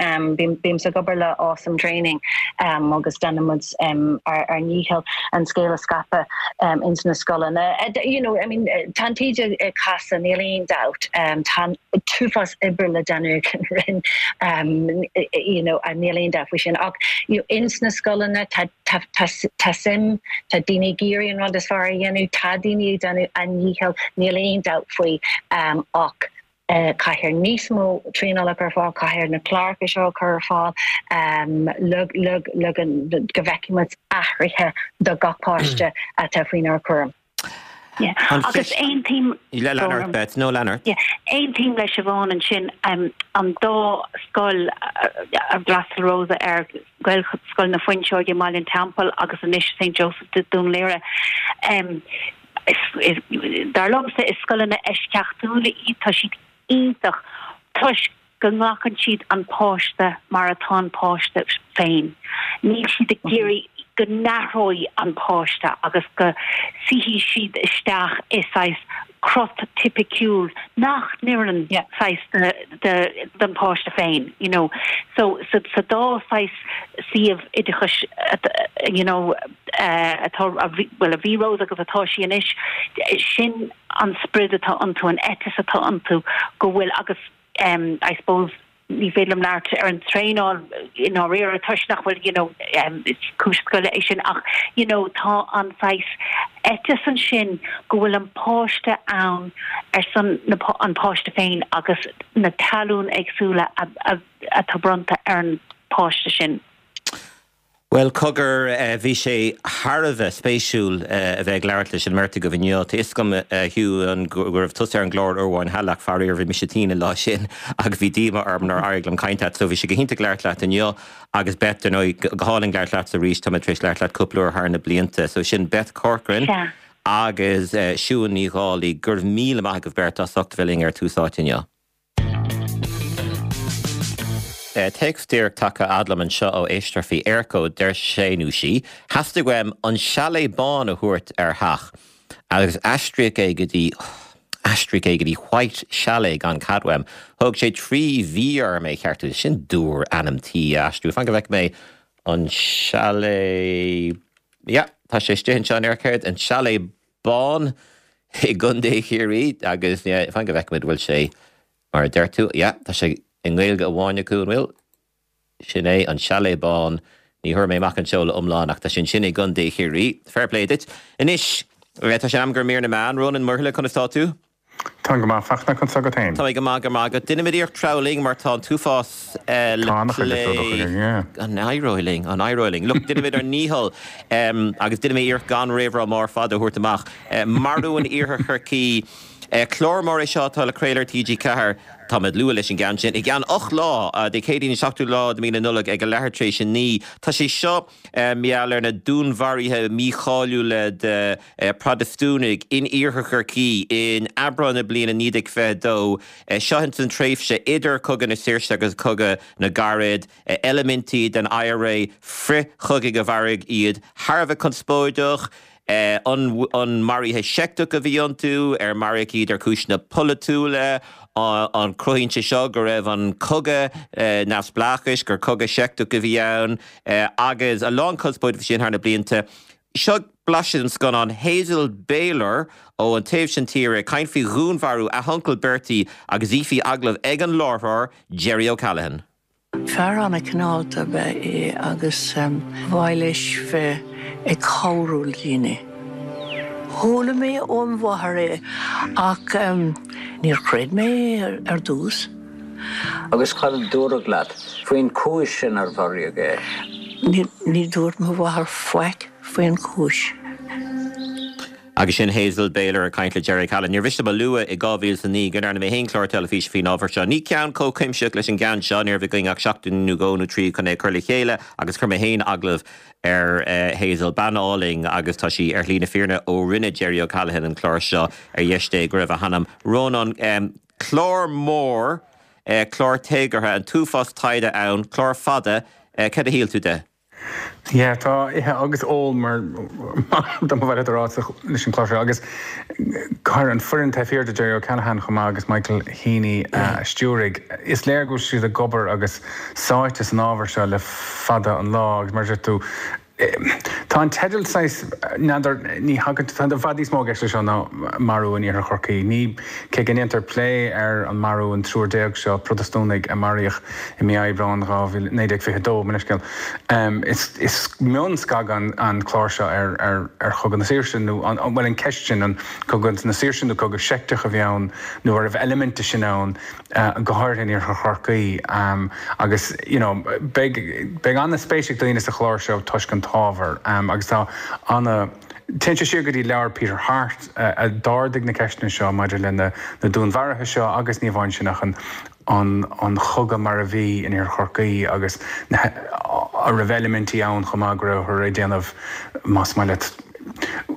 Bímse ag obair le Awesome Training agus déanaimid ár ndícheall an scéal a scaipeadh ins na scoileanna. You know, I mean, tá an taoide ag casadh, níl aon dabht. Tá an t-uafás oibre le déanamh ag an Roinn, you know, níl aon dabht faoi sin. Ach you know, ins na scoileanna tá tá tá tá suim, tá daoine ag iarraidh an rud is fearr a dhéanamh, tá daoine ag déanamh a ndícheall, níl aon dabht faoi ach caithfear níos mó traenála a chur ar fáil, caithfear na cláracha seo a chur ar fáil le le le go bhfeicfidh muid athruithe do gach páiste atá faoinár gcúram. Yeah. Agus aontaím Lean ort, Beth, no lean ort. Yeah. Aontaím le Siobhán ansin um, an dá scoil a d'fhreastail Rosa ar Gaelscoil na Fuinseoige i mBaile an Teampaill agus anois St Joseph de Dún Laoghaire. Um, is, is, dar liomsa is scoileanna eisceachtúla iad tá siad iontach toisc go nglacann siad an páiste mar atá an páiste féin. Níl siad ag iarraidh go n-athróidh an páiste agus go suífidh siad isteach i saghas crot tipiciúil nach n-oireann saghas don pháiste féin, you know. So sa sa dá saghas suíomh oideachais you know atá bhuel a bhí Rose agus atá sí anois, sin an sprid atá iontu, an eiteas atá iontu go bhfuil agus um, I suppose ní féidir liom labhairt ar an traenáil i ndáiríre toisc nach bhfuil you know um, cúis scoile é sin ach you know tá an saghas eiteas ansin go bhfuil an páiste ann ar son na, an páiste féin agus na tallann éagsúla atá bronnta ar an páiste sin. Bhuel, cogar, bhí sé thar a bheith spéisiúil a bheith ag labhairt leis an mbeirt agaibh inniu. Tá fhios agam, a Shiún, go raibh tusa ar an gclár uair amháin cheana ach faraor bhí mise tinn an lá sin agus bhí díomá orm nár éirigh liom caint leat. So bhí sé go hiontach labhairt leat inniu agus Beth, dar ndóigh, go hálainn labhairt leatsa arís, tá mé tar éis labhairt leat cúpla uair thar na blianta. So sin Beth Corcoran agus Siún Ní Dhálaigh. Go raibh míle maith agaibh beirt as ucht a bheith linn ar Tús Áite inniu. Téacs díreach tagtha fhad liom anseo ó éisteoir faoi Eircode, deir sé nó sí, Theastaigh uaim an Chalet Bán a thabhairt ar theach agus aistríodh é go dtí, aistríodh é go dtí White Chalet gan cead uaim. Thóg sé trí mhí orm é a cheartú. Sin dúr ainm tí a aistriú. Fan go bhfeice mé an Chalet, yeah, tá sé istigh anseo in Eircode, an Chalet Bán i gContae Chiarraí agus yeah, fan go bhfeicimid bhfuil sé mar a deir tú, yeah, tá sé i nGaeilge amháin acu, an bhfuil? Sin é, an Chalet Bán. Ní thabharfaidh mé amach an seoladh iomlán ach tá sé ansin i gContae Chiarraí. Fair play duit. Anois, tá sé in am do mhír na meán. Rónán Muirthile, conas tá tú? Táim go maith, Fachtna, conas agat féin? Tá mé go maith, go maith agat. Déanfaimid iarracht treabhadh linn mar tá an t-uafás le Tá an-chuid plé. le plé againn, yeah. An éireoidh linn? An éireoidh linn? Look, déanfaimid ár ndícheall agus déanfaidh mé iarracht gan réamhrá mór fada a thabhairt amach. Marú in Iarthar Chorcaí. Clár mór é seo atá le craoladh ar T G ceathair. Táimid luath leis an gceann sin. I gceann ocht lá, Dé Céadaoin an seachtú lá de mí na Nollag ag a leathuair tar éis a naoi. Tá sé seo mar gheall ar na dúnmharuithe mícháiliúla de Protastúnaigh in Iarthar Chorcaí in Aibreán na bliana naoi déag fiche a dó. Seo ins an tréimhse idir Cogadh na Saoirse agus Cogadh na gCarad. Eilimintí den IRA frith-chogaidh a mharaigh iad. Thar a bheith conspóideach. An maruithe seicteach a bhí iontu, ar maraíodh iad ar chúiseanna polaitiúla, an cruthaíonn sé seo go raibh an cogadh neamhspleáchais, gur cogadh seicteach a bhí ann, agus a lán conspóide faoi sin thar na blianta. Seo blaiseadh den scannán Hazel Baylor ó an taobh sin tíre ag caint faoi dhúnmharú a huncail Bertie agus í faoi agallamh ag an láithreoir Jerry O'Callaghan. Fear an-chineálta ab ea é agus ba mhaith leis bheith ag cabhrú le daoine. Chuala mé óm mháthair é ach níor chreid mé é ar dtús. Agus cad a dúradh leat faoin chúis sin ar mharaíodh é? Ní dúirt mo mháthair faic faoin chúis. Agus sin Hazel Baylor ag caint le Jerry O'Callaghan. Níor mhiste dom a lua i dhá mhíle is a naoi go ndearna mé féin clár teilifíse faoin ábhar seo. Ní ceann chomh cuimsitheach leis an gceann seo, ní raibh againn ach seachtain nó dhó nó trí chun é a chur le chéile agus chuir mé féin agallamh ar Hazel, bean álainn agus tá sí ar shlí na fírinne ó rinne Jerry O'Callaghan an clár seo ar dheis Dé go raibh a hanam. Rónán, clár mór, clár téagartha, an t-uafás taighde ann, clár fada, cad a shíl tú de? Yeah, tá ithe agus ól mar dá mba mhaith leat a rá leis an chlár seo agus cuir an foireann taobh thiar de Jerry O'Callaghan chomh maith agus Michael Heaney a stiúraigh. Is léir go bhfuil siad ag obair agus sáite san ábhar seo le fada an lá agus mar a deir tú tá an teideal saghas, n'fheadar, ní thagann, tá i bhfad níos mó i gceist leis seo ná marú in Iarthar Chorcaí. Ní, cé go ndéantar plé ar an marú an triúr déag seo, Protastúnaigh a maraíodh i mí Aibreáin dhá mhíle, naoi déag fiche a dó, mo leithscéal, is, is mionscagadh an clár seo ar, ar, ar Chogadh na Saoirse nó an, bhuel an ceist sin, an Cogadh na Saoirse nó cogadh seicteach a bhí ann nó an raibh eilimint de sin ann, go háirithe in Iarthar Chorcaí agus you know beidh, beidh an-spéis ag daoine sa chlár seo toisc an t-ábhar agus tá ana, téann sé siar go dtí leabhar Peter Harte a d'ardaigh na ceisteanna seo maidir le na dúnmharuithe seo agus ní amháin sin ach an an an chogadh mar a bhí in Iarthar Chorcaí agus na a raibh eilimintí ann chomh maith go rabhthar ag déanamh más maith leat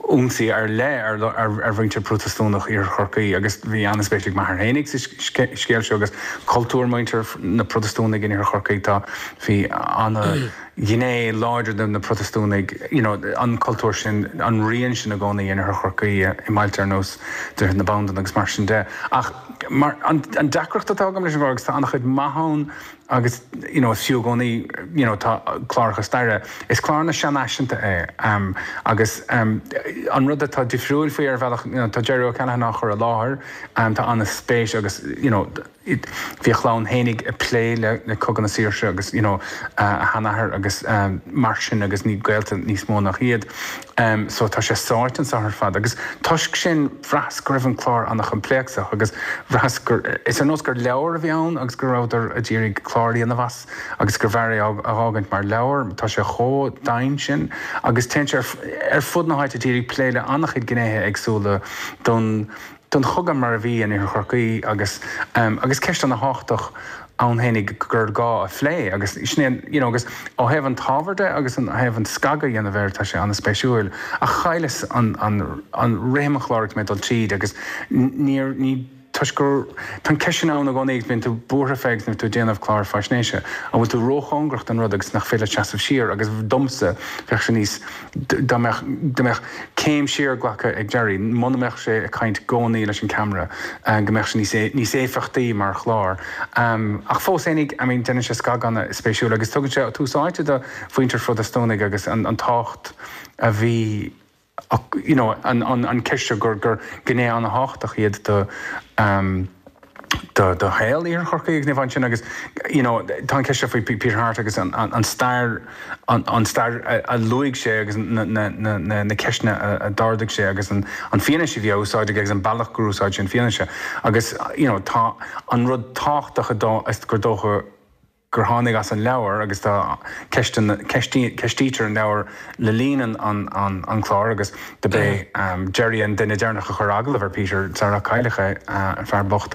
ionsaí ar leith ar mhuintir Protastúnach Iarthar Chorcaí agus bhí an-spéis ag m'athair fhéinig sa scéal seo agus cultúr muintir na Protastúnaigh in Iarthar Chorcaí. Tá, bhí an-ghné láidir de na Protastúnaigh, you know, an cultúr sin, an rian sin i gcónaí in Iarthar Chorcaí i mbailte ar nós Droichead na Bandan agus mar sin de. Ach mar, an deacracht atá agam leis an gclár agus tá an-chuid maith ann, Agus you know is fiú i gcónaí you know tá cláracha staire, is clár ana-sheanfhaiseanta é agus an rud atá difriúil faoi ar bhealach you know tá Jerry O'Callaghan á chur i láthair, tá an-spéis agus you know bhí a chlann fhéinig ag plé le le Cogadh na Saoirse agus you know a sheanathair agus mar sin agus ní gaolta níos mó nach iad. So tá sé sáite anseo ar fad agus toisc sin bhraitheas go raibh an clár an-choimpléacsach agus bhraitheas gur, is ar nós gur leabhar a bhí ann agus go rabhadar ag iarraidh clár a dhéanamh as agus gurbh fhearr é a dh'fhágaint mar leabhar. Tá sé chomh domhain sin agus téann sé ar fud na háite ag iarraidh plé le an-chuid gnéithe éagsúla don don chogadh mar a bhí in Iarthar Chorcaí agus agus ceist ana-thábhachtach ann fhéinig gur gá a phlé agus sin é you know agus ó thaobh an t-ábhar de agus an thaobh an scagadh a dhéanamh air tá sé an-spéisiúil ach chailleas an an an rithim an chláir agus mé ag dul tríd agus níor ní toisc gur tá an ceist sin ann i gcónaí agus bíonn tú buartha fé agus nuair tú ag déanamh clár faisnéise an bhfuil tú róchóngarach don rud agus nach féidir leat seasamh siar agus domsa bheadh sé níos dá mbeadh dá mbeadh céim siar glactha ag Jerry, muna mbeadh sé ag caint i gcónaí leis an ceamara, go mbeadh sé níos níos éifeachtaí mar chlár. Ach fós fhéinig, I mean, déanann sé scagadh ana-spéisiúil agus tugann sé tús áite do mhuintir Phrotastúnaigh agus an an tábhacht a bhí you know, an an an ceist seo gur gur gné ana-thábhachtach iad do do do shaol Iarthar Chorcaí agus ní amháin sin agus you know tá an ceist seo faoi Peter Harte agus an an stair an an stair a luaigh sé agus na na na na na ceisteanna a d'ardaigh sé agus an an fianaise a bhí á úsáid aige agus an bealach gur úsáid sé an fianaise agus you know tá an rud tábhachtach a dó is gur dócha gur tháinig as an leabhar agus tá ceisteanna, ceistítear an leabhar le linn an an chláir agus do b'é Jerry an duine deireanach a chuir agallamh ar Peter sar a cailleadh é, an fear bocht.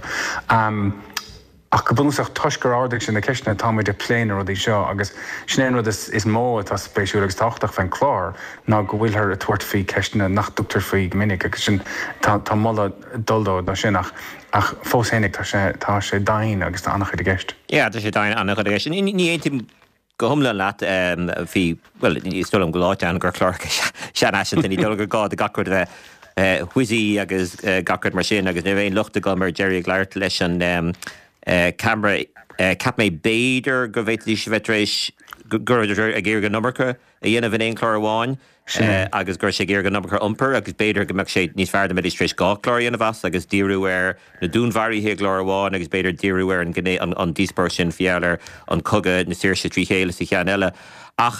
Ach go bunúsach toisc gur ardaigh sé na ceisteanna táimid ag plé na rudaí seo agus sin é an rud is mó atá spéisiúil agus tábhachtach faoin chlár ná go bhfuilthear ag tabhairt faoi ceisteanna nach dtugtar faoi go minic agus sin tá tá moladh ag dul dó dó sin ach ach fós fhéinig tá sé tá sé domhain agus tá an-chuid i gceist. Yeah, tá sé domhain an-chuid i gceist. Ní aontaím go hiomlán leat faoi, bhuel, is dóigh liom go láidir ann gur clár seanfhaiseanta, ní dóigh liom gur gá do gach rud a bheith whizzy agus gach rud mar sin agus ní raibh aon locht agam ar Gerry ag labhairt leis an ceamara. Cheap mé b'fhéidir go bhféadfaidís a bheith tar éis go raibh ag iarraidh an iomarca a dhéanamh in aon chlár amháin agus go raibh sé ag iarraidh an iomarca a iompar agus b'fhéidir go mbeadh sé níos fearr dá mbeidís tar éis dhá chlár a dhéanamh as agus díriú ar na dúnmharuithe i gclár amháin agus b'fhéidir díriú ar an gné, an díospóireacht sin faoi gheall ar an cogadh na saoirse trí chéile sa cheann eile. Ach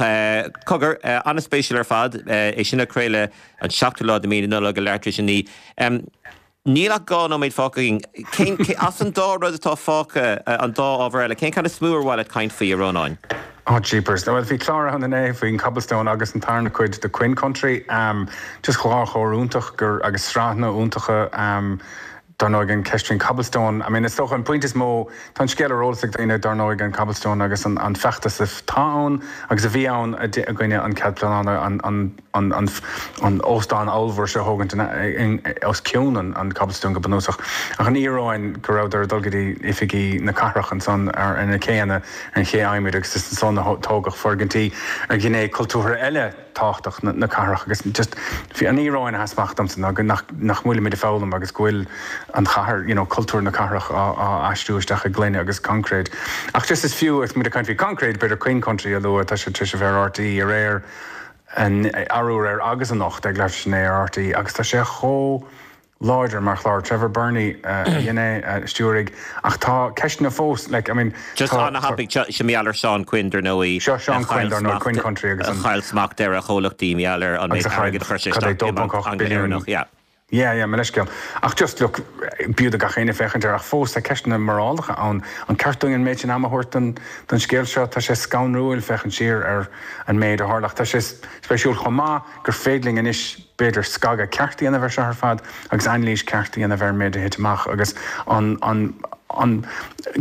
cogar, an-spéisiúil ar fad é sin a craoladh an seachtú lá de mhí na Nollag ag leathuair tar éis a naoi. Níl ach dhá nóiméad fágtha againn. Cén, as an dá rud atá fágtha, an dá ábhar eile, cén ceann is mó ar mhaith leat caint faoi, a Rónáin? Oh jeepers. Bhuel, bhí clár ann inné faoin Cobblestone agus an tarna cuid de Quinn Country. Just dhá chlár iontach gur, agus sraitheanna iontacha. Dar ndóigh, an cheist faoin Cobblestone, I mean, is dócha an pointe is mó, tá an scéal ar eolas ag daoine, dar ndóigh, an Cobblestone agus an an feachtas atá ann agus a bhí ann i gcoinne an cead pleanála, an an an an an óstán ollmhór seo a thógaint os cionn an an Cobblestone go bunúsach. Ach an íoróin go rabhadar ag dul go dtí oifigí na cathrach ansan ar ar na céanna, ar an ché adhmaid agus is ansan a tógadh foirgintí ar ghné cultúrtha eile tábhachtach na cathrach agus just bhí an íoróin a sheas amach domsa ná go nach nach bhfuilimid ag foghlaim agus go bhfuil an chathair, you know, cultúr na cathrach á á aistriú isteach i ngloine agus concrete. Ach just is fiú agus muid ag caint faoi concrete, b'fhéidir Quinn Country a lua, tá sé tar éis a bheith ar RTÉ aréir, arú aréir agus anocht ag leathuair tar éis a naoi ar RTÉ agus tá sé chomh láidir mar chlár. Trevor Birney a dhein é, a stiúraigh, ach tá ceisteanna fós, like, I mean, Just tá, an-thapaidh, seo, seo mar gheall ar Seán Quinn, dar ndóigh, Seo a Seán Quinn, chaill dar ndóigh, smacht, Quinn Country agus a an, chaill smacht ar a chomhlachtaí mar gheall ar an agus méid a chaill, airgid a chuir sé cad é, isteach dó i ponc mBanc ocht billiún. Angla-Éireannach, yeah. Yeah, yeah, mo leithscéal. Ach just, look, b'fhiú do gach éinne féachaint air, ach fós tá ceisteanna morálacha ann. An ceart dúinn an méid sin ama a thabhairt don, don scéal seo? Tá sé scanrúil féachaint siar ar an méid a tharla. Ach tá sé spéisiúil chomh maith gur féidir linn anois, b'fhéidir, scagadh ceart a dhéanamh air seo ar fad agus anailís ceart a dhéanamh ar an méid a thit amach agus an, an, an,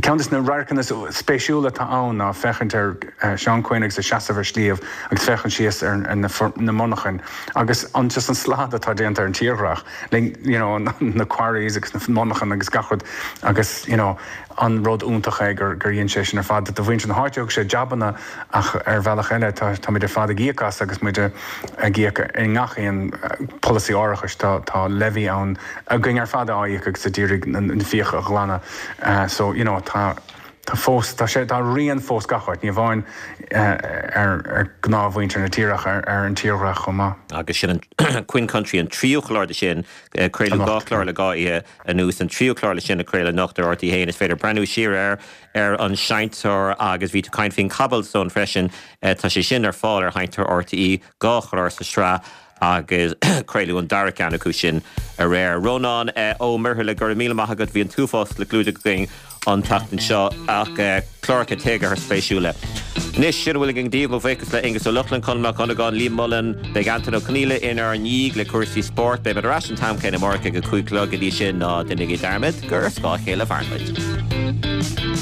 ceann de na radharcanna spéisiúla atá ann ná féachaint ar Seán Quinn agus a seasamh ar shliabh agus féachaint síos ar na na monarchain agus an just an slad atá déanta ar an tírdhreach le you know na quarries agus na monarchain agus gach rud agus you know an rud iontach é gur gur dhein sé sin ar fad. Do mhuintir na háite thug sé jabanna ach ar bhealach eile tá táimid ar fad ag íoc as agus muid ag íoc i ngach aon polasaí árachais tá tá levy ann againn ar fad á íoc agus a d'iarraidh na fiacha a ghlanadh so you know tá tá fós tá sé tá rian fós gach áit ní amháin ar ar gnáthmhuintir na tíre ach ar ar an tírdhreach chomh maith. Agus sin an Quinn Country an tríú clár de sin, craoladh dhá chlár le dhá oíche anuas, an tríú clár le sin a craoladh anocht ar RTÉ a haon. Is féidir breathnú siar air ar an Seinnteoir agus bhí tú ag caint faoin Cobblestone freisin, tá sé sin ar fáil ar Sheinnteoir RTÉ, dhá chlár sa sraith agus craoladh an dara ceann acu sin aréir. Rónán Ó Muirthile, go raibh míle maith agat, bhí an t-uafás le clúdach againn an tseachtain seo ach cláracha téagartha spéisiúla. Anois, sin a bhfuil againn daoibh, mo bhuíochas le Aengus Ó Lochlainn, Conall Mac Dhonnagáin, Liam Mullen, beidh Antain Ó Conghaile inár ndiaidh le cúrsaí spóirt. Beidh muid ar ais an t-am céanna amárach ag a cúig a chlog, go dtí sin, ná déanaigí dearmad gur ar scáth a chéile a mhaireann muid.